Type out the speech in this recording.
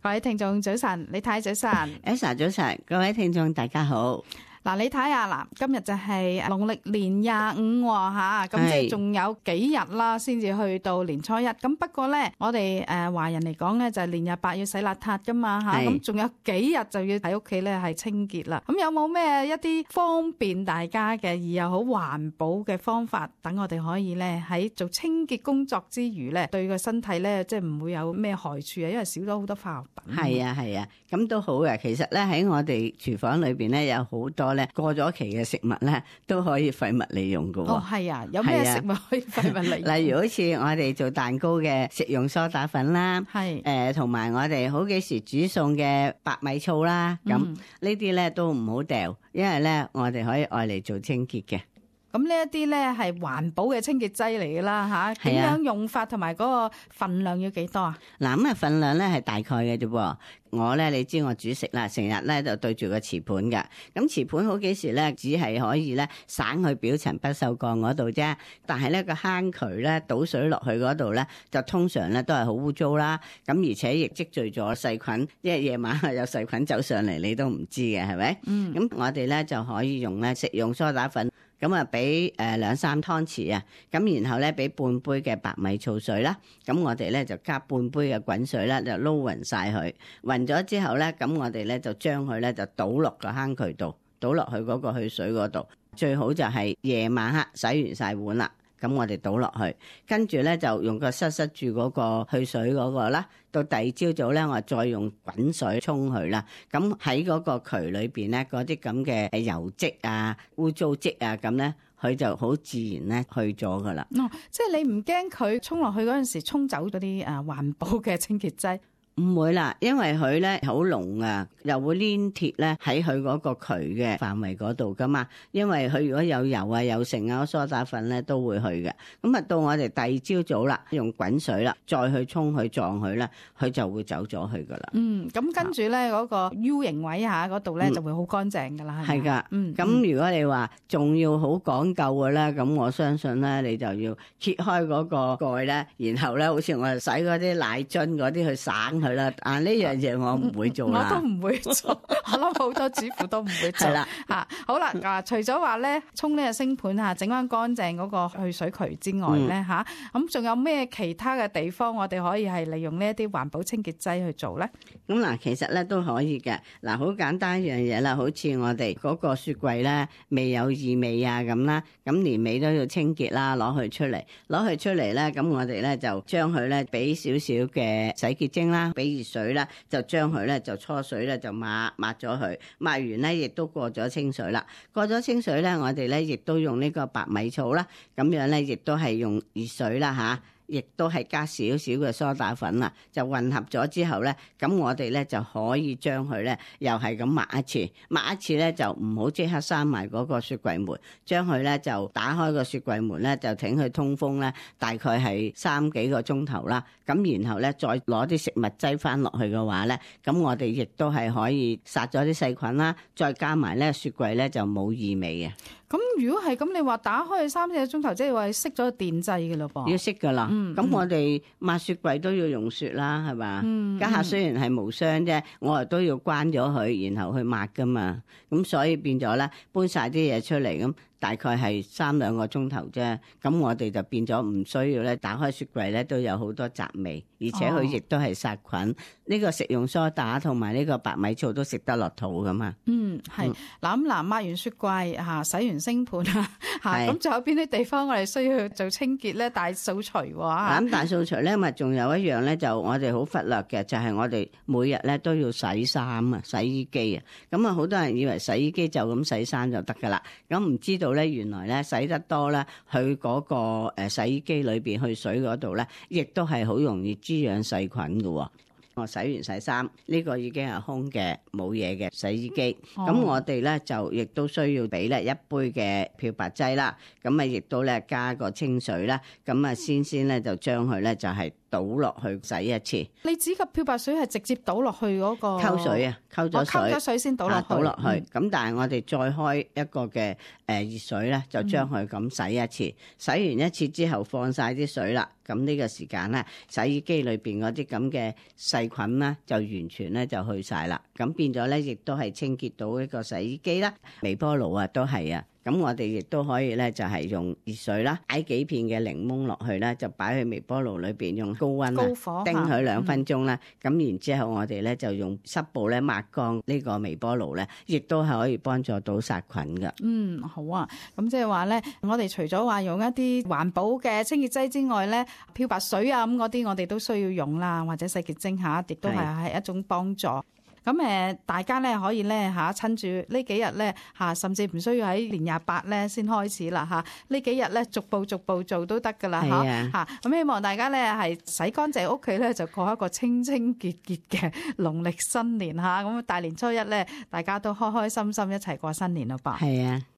各位聽眾早晨，李太早晨 Elsa 早晨，各位聽眾大家好。嗱，你睇下嗱，今日就係農曆年25吓，咁即係仲有幾日啦，先至去到年初一。咁不過咧，我哋華人嚟講咧，就係年廿八要洗邋遢噶嘛吓，咁仲有幾日就要喺屋企咧係清潔啦。咁有冇咩一啲方便大家嘅而又好環保嘅方法，等我哋可以咧喺做清潔工作之餘咧，對個身體咧即係唔會有咩害處啊？因為少咗好多化學品。係啊，咁都好嘅。其實咧喺我哋廚房裏邊咧有好多咧過咗期嘅食物咧都可以廢物利用㗎喎。哦，係啊，有咩食物可以廢物利用？例如好似我哋做蛋糕嘅食用梳打粉啦，同埋我哋好幾時煮餸嘅白米醋啦，咁呢啲咧都唔好掉，因為咧我哋可以愛嚟做清潔嘅。咁呢一啲咧係環保嘅清潔劑嚟㗎啦吓，點樣用法同埋嗰個份量要幾多啊？嗱，咁份量咧係大概嘅啫噃。我咧你知我煮食啦，成日咧就對住個瓷盤㗎。咁瓷盤好幾時咧只係可以咧省去表層不鏽鋼嗰度啫，但係咧個坑渠咧倒水落去嗰度咧就通常咧都係好污糟啦。咁而且亦積聚咗細菌，因為夜晚有細菌走上嚟你都唔知嘅，係咪？咁我哋咧就可以用咧食用梳打粉。咁啊，俾2-3湯匙啊，咁然後咧俾半杯嘅白米醋水啦，咁我哋咧就加半杯嘅滾水啦，就撈勻晒佢，勻咗之後咧，咁我哋咧就將佢咧就倒落個坑渠度，倒落去嗰個去水嗰度，最好就係夜晚黑洗完晒碗啦。咁我哋倒落去，跟住咧就用個塞住嗰個去水嗰個啦。到第二朝早咧，我再用滾水沖佢啦。咁喺嗰個渠裏邊咧，嗰啲咁嘅油漬啊、污糟漬啊，咁咧佢就好自然咧去咗噶啦。哦，即係你唔驚佢沖落去嗰陣時沖走嗰啲環保嘅清潔劑？唔會啦，因為佢咧好濃啊，又會黏貼咧喺佢嗰個渠嘅範圍嗰度噶嘛。因為佢如果有油啊、有剩啊、梳打粉咧都會去嘅。咁啊，到我哋第二朝早啦，用滾水啦，再去沖佢撞佢咧，佢就會走咗去噶啦。咁跟住咧嗰個 U 型位下嗰度咧就會好乾淨噶啦。係噶。咁如果你話仲要好講究嘅咧，咁我相信咧你就要揭開嗰個蓋咧，然後咧好似我哋洗嗰啲奶樽嗰啲去省佢。呢樣嘢我唔會做啦，我都唔會做，我諗好多主婦都唔會做。係啦，好啦，除咗話咧沖呢個星盤整翻乾淨嗰個去水渠之外咧咁仲有咩其他嘅地方我哋可以係利用呢一啲環保清潔劑去做咧？咁嗱，其實咧都可以嘅。嗱，好簡單一樣嘢啦，好似我哋嗰個雪櫃咧未有異味啊咁啦，咁年尾都要清潔啦，攞佢出嚟咧，咁我哋咧就將佢咧俾少少嘅洗潔精啦。俾熱水啦，就將佢咧就搓水咧就抹咗佢，抹完咧亦都過咗清水啦。過咗清水咧，我哋咧亦都用呢個白米醋啦，咁樣咧亦都係用熱水啦吓。亦都係加少少嘅梳打粉啦，就混合咗之後咧，咁我哋咧就可以將佢咧又係咁抹一次咧就唔好即刻閂埋嗰個雪櫃門，將佢咧就打開個雪櫃門咧就挺佢通風咧，大概係3幾個鐘頭啦。咁然後咧再攞啲食物劑翻落去嘅話咧，咁我哋亦都係可以殺咗啲細菌啦，再加埋咧雪櫃咧就冇異味嘅。咁如果係咁，你話打開3-4個鐘頭，即係話熄咗電掣嘅咯噃？要熄噶啦。咁我哋抹雪櫃都要用雪啦，係嘛？家下雖然係無霜啫，我哋都要關咗佢，然後去抹噶嘛。咁所以變咗咧，搬晒啲嘢出嚟咁。大概係3-2個鐘頭啫，咁我哋就變咗唔需要咧，打開雪櫃咧都有好多雜味，而且佢亦都係殺菌。呢個食用梳打同埋呢個白米醋都食得落肚噶嘛。係嗱抹完雪櫃洗完星盤咁仲有邊啲地方我哋需要做清潔咧？大掃除喎。咁大掃除咧，咪仲有一樣咧，就我哋好忽略嘅，就係我哋每日咧都要洗衫啊、洗衣機啊。咁啊，好多人以為洗衣機就咁洗衫就得噶啦，咁唔知道咧，原來咧洗得多咧，佢嗰個洗衣機裏邊去水嗰度咧，亦都係好容易滋養細菌噶。我洗完洗衫，呢個已經係空嘅冇嘢嘅洗衣機。咁我哋咧就亦都需要俾咧1杯嘅漂白劑啦。咁啊，亦都咧加個清水啦。咁啊，先咧就將佢咧就係倒落去洗一次。你指嘅漂白水係直接倒落去嗰個溝水啊，溝咗水，溝咗水先倒落去。倒落去。咁但係我哋再開一個嘅熱水咧，就將佢咁洗一次。洗完一次之後放晒啲水啦。咁呢個時間咧，洗衣機裏邊嗰啲咁嘅細菌咧，就完全咧就去晒啦。咁變咗咧，亦都係清潔到一個洗衣機啦。微波爐啊，都係啊。咁我哋亦都可以咧，就係用熱水啦，擺幾片嘅檸檬落去咧，就擺去微波爐裏邊，用高溫高火叮佢2分鐘啦。咁然之後我哋咧就用濕布咧抹乾呢個微波爐咧，亦都係可以幫助到殺菌噶。好啊。咁即係話咧，我哋除咗話用一啲環保嘅清潔劑之外咧，漂白水啊咁嗰啲我哋都需要用啦，或者洗潔精嚇，亦都係一種幫助。咁大家咧可以咧趁住呢幾日咧甚至唔需要喺年28咧先開始啦呢幾日咧逐步做都得噶啦咁希望大家咧係洗乾淨屋企咧，就過一個清清潔潔嘅農曆新年咁大年初一咧，大家都開開心心一齊過新年咯噃。係啊。